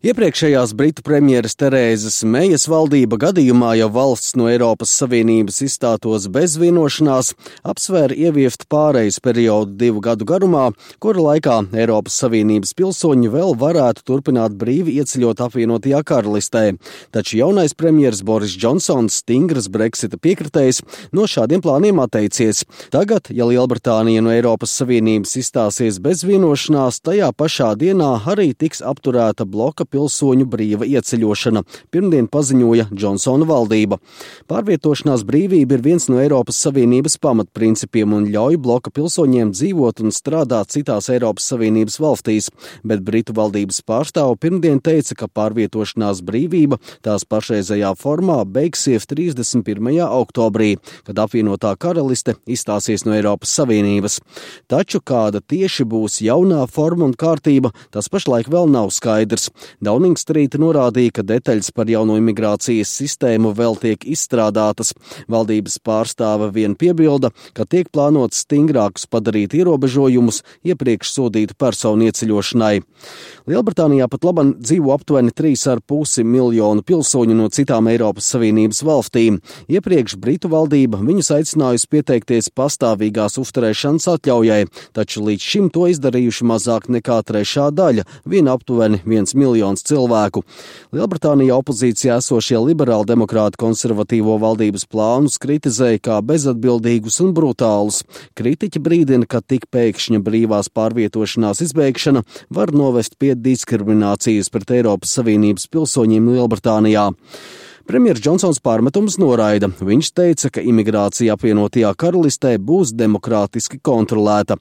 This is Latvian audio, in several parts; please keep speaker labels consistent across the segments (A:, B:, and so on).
A: Iepriekšējās Britu premjeras Terēzes Mejas valdība gadījumā, ja valsts no Eiropas Savienības izstātos bez vienošanās, apsvēra ieviest pārejas periodu 2 gadu garumā, kura laikā Eiropas Savienības pilsoņi vēl varētu turpināt brīvi ieceļot apvienotajā karalistē. Taču jaunais premjeras Boris Džonsons, stingras Brexita piekritējs, no šādiem plāniem atteicies. Tagad, ja Lielbritānija no Eiropas Savienības izstāsies bez vienošanās, tajā pašā dienā arī tiks apturēta bloka pilsoņu brīva ieceļošana, pirmdien paziņoja Džonsona valdība. Pārvietošanās brīvība ir viens no Eiropas Savienības pamatprincipiem un ļauj bloka pilsoņiem dzīvot un strādāt citās Eiropas Savienības valstīs, bet Britu valdības pārstāve pirmdien teica, ka pārvietošanās brīvība tās pašreizējā formā beigsies 31. oktobrī, kad apvienotā karaliste izstāsies no Eiropas Savienības. Taču kāda tieši būs jaunā forma un kārtība, tas pašlaik vēl nav skaidrs. Downing Street norādīja, ka detaļas par jauno imigrācijas sistēmu vēl tiek izstrādātas. Valdības pārstāve vien piebilda, ka tiek plānots stingrākus padarīt ierobežojumus iepriekš sodītu personu ieceļošanai. Lielbritānijā pat labam dzīvo aptuveni 3,5 miljonu pilsoņu no citām Eiropas Savienības valstīm. Iepriekš Britu valdība viņus aicinājusi pieteikties pastāvīgās uzturēšanas atļaujai, taču līdz šim to izdarījuši mazāk nekā trešā daļa, vien aptuveni 1 miljons cilvēku. Lielbritānijā opozīcijā esošie liberāli demokrāti konservatīvo valdības plānus kritizēja kā bezatbildīgus un brutālus. Kritiķi brīdina, ka tik pēkšņa brīvās pārvietošanās izbeigšana var novest pie diskriminācijas pret Eiropas Savienības pilsoņiem Lielbritānijā. Premjers Džonsons pārmetumus noraida. Viņš teica, ka imigrācija apvienotajā karalistē būs demokrātiski kontrolēta.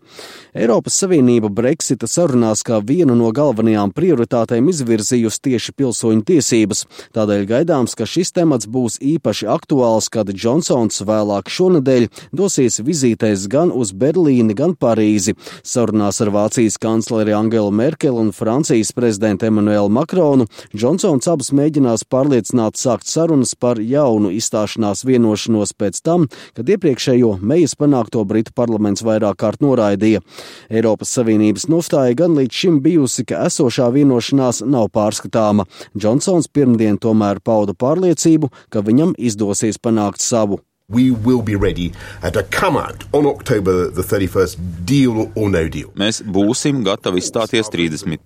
A: Eiropas Savienība Brexita sarunās kā vienu no galvenajām prioritātēm izvirzījusi tieši pilsoņu tiesības. Tādēļ gaidāms, ka šis temats būs īpaši aktuāls, kad Džonsons vēlāk šonedēļ dosies vizītēs gan uz Berlīni, gan Parīzi. Sarunās ar Vācijas kancleri Angelu Merkeli un Francijas prezidentu Emmanuelu Makronu Džonsons abus mēģinās pārliecināt sākt sarunas par jaunu izstāšanās vienošanos pēc tam, kad iepriekšējo Mejas panākto Britu parlaments vairāk kārt noraidīja. Eiropas Savienības nostāja gan līdz šim bijusi, ka esošā vienošanās nav pārskatāma. Džonsons pirmdien tomēr pauda pārliecību, ka viņam izdosies panākt savu.
B: We will be ready to come out on October the 31st, deal or no deal.
C: Mēs būsim gatavi izstāties 31.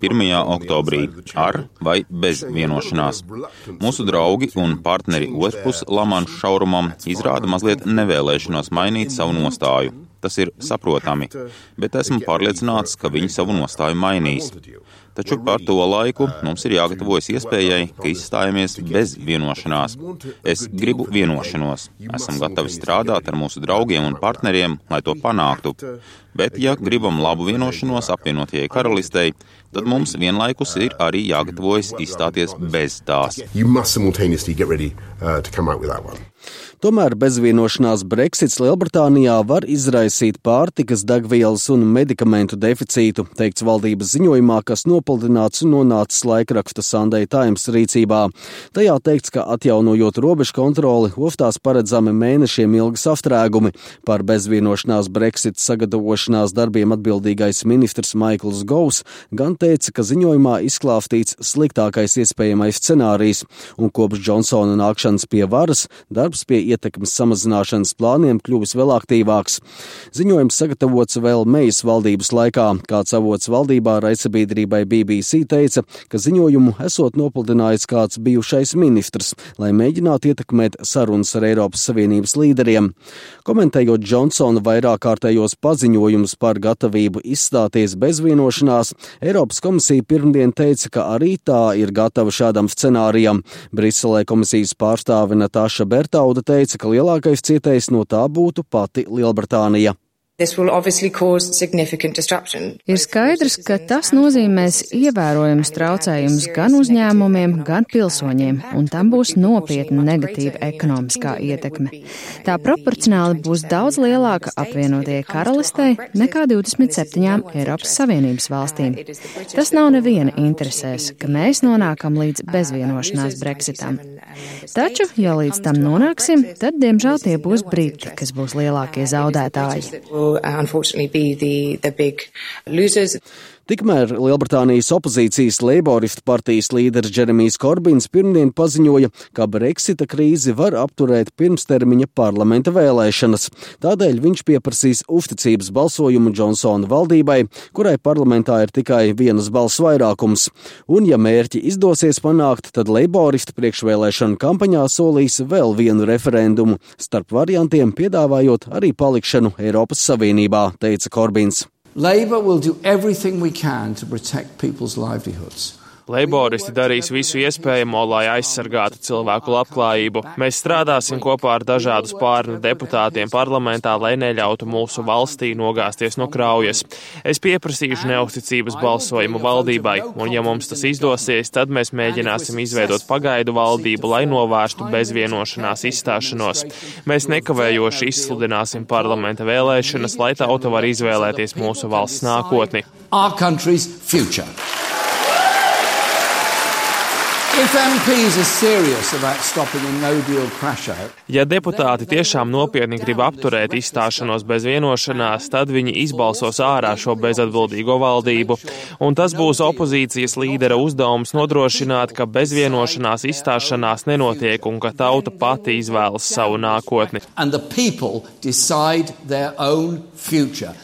C: oktobrī ar vai bez vienošanās. Mūsu draugi un partneri otrpus Lamanšu šaurumam izrāda mazliet nevēlēšanos mainīt savu nostāju. Tas ir saprotami, bet esmu pārliecināts, ka viņi savu nostāju mainīs. Taču par to laiku mums ir jāgatavojas iespējai, ka izstājamies bez vienošanās. Es gribu vienošanos. Esam gatavi strādāt ar mūsu draugiem un partneriem, lai to panāktu. Bet, ja gribam labu vienošanos apvienotajai karalistei, tad mums vienlaikus ir arī jāgatavojas izstāties bez tās.
A: Tomēr bezvienošanās Brexits Lielbritānijā var izraisīt pārtikas, degvielas un medikamentu deficītu, teikts valdības ziņojumā, kas nopludināts un nonācis laikraksta Sunday Times rīcībā. Tajā teikts, ka atjaunojot robežu kontroli, ostās paredzami mēnešiem ilgi sastrēgumi. Par bezvienošanās Brexit sagatavošanās darbiem atbildīgais ministrs Maikls Govs gan teica, ka ziņojumā izklāstīts sliktākais iespējamais scenārijs, un kopš Džonsona nākšanas pie varas darbs pie ietekmes samazināšanas plāniem kļuvis vēl aktīvāks. Ziņojums sagatavots vēl Mejas valdības laikā. Kāds avots valdībā raidsabiedrībai BBC teica, ka ziņojumu esot nopludinājis kāds bijušais ministrs, lai mēģinātu ietekmēt sarunas ar Eiropas Savienības līderiem. Komentējot Džonsona vairāk kārtējos paziņojumus par gatavību izstāties bez vienošanās, Eiropas komisija pirmdien teica, ka arī tā ir gatava šādam scenārijam. Briselē komisijas pārstāve Natāša Bertauda teica, ka lielākais cietējs no tā būtu pati Lielbritānija.
D: Ir skaidrs, ka tas nozīmēs ievērojamus traucējumus gan uzņēmumiem, gan pilsoņiem, un tam būs nopietna negatīva ekonomiskā ietekme. Tā proporcionāli būs daudz lielāka apvienotajai karalistei nekā 27 Eiropas Savienības valstīm. Tas nav neviena interesēs, ka mēs nonākam līdz bezvienošanās Brexitam. Taču, ja līdz tam nonāksim, tad, diemžēl, tie būs Briti, kas būs lielākie zaudētāji.
A: Tikmēr Lielbritānijas opozīcijas Leiboristu partijas līderis Džeremijs Korbins pirmdien paziņoja, ka Brexita krīzi var apturēt pirmstermiņa parlamenta vēlēšanas. Tādēļ viņš pieprasīs uzticības balsojumu Džonsona valdībai, kurai parlamentā ir tikai vienas balss vairākums. Un, ja mērķi izdosies panākt, tad Leiboristi priekšvēlēšanu kampaņā solīs vēl vienu referendumu, starp variantiem piedāvājot arī palikšanu Eiropas Savienībā, teica Korbins.
E: Labour will do everything we can to protect people's livelihoods.
F: Leiboristi darīs visu iespējamo, lai aizsargātu cilvēku labklājību. Mēs strādāsim kopā ar dažādu spārnu deputātiem parlamentā, lai neļautu mūsu valstī nogāzties no kraujas. Es pieprasīšu neusticības balsojumu valdībai, un ja mums tas izdosies, tad mēs mēģināsim izveidot pagaidu valdību, lai novērstu bezvienošanās izstāšanos. Mēs nekavējoši izsludināsim parlamenta vēlēšanas, lai tauta var izvēlēties mūsu valsts nākotni.
E: Our country's future. If MPs are serious about stopping a no-deal crash-out,
F: ja deputāti tiešām nopietni grib apturēt izstāšanos bez vienošanās, tad viņi izbalsos ārā šo bezatbildīgo valdību. Un tas būs opozīcijas līdera uzdevums nodrošināt, ka bez vienošanās izstāšanās nenotiek un ka tauta pati izvēlas savu nākotni.
E: and the people decide their own future.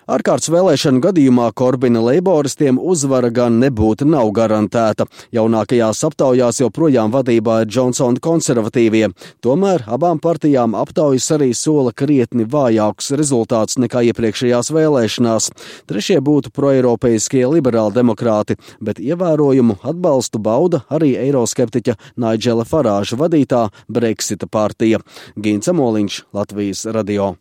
A: Ārkārtas vēlēšanu gadījumā Korbina leiboristiem uzvara gan nebūtu nav garantēta. Jaunākajās aptaujās joprojām vadībā ir Džonsona konservatīvie. Tomēr abām partijām aptaujas arī sola krietni vājākus rezultātus nekā iepriekšējās vēlēšanās. Trešie būtu proeiropeiskie liberāli demokrāti, bet ievērojumu atbalstu bauda arī eiroskeptiķa Naidžela Farāža vadītā Brexita partija. Gints Amoliņš, Latvijas radio.